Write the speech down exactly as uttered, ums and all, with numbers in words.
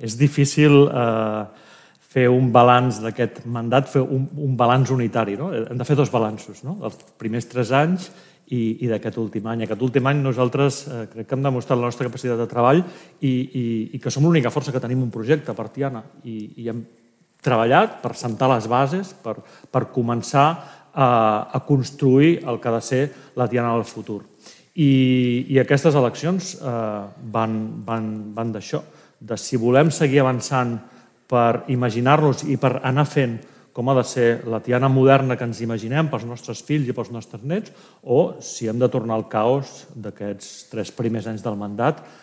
És difícil fer un balanç d'aquest mandat, fer un balanç unitari. Hem de fer dos balanços, els primers tres anys i d'aquest últim any. Aquest últim any nosaltres crec que hem demostrat la nostra capacitat de treball i que som l'única força que tenim un projecte per Tiana. I hem treballat per assentar les bases, per començar a construir el que ha de ser la Tiana del futur. I aquestes eleccions van d'això, de si volem seguir avançant per imaginar-nos i per anar fent com ha de ser la Tiana moderna que ens imaginem pels nostres fills i pels nostres nets, o si hem de tornar al caos d'aquests tres primers anys del mandat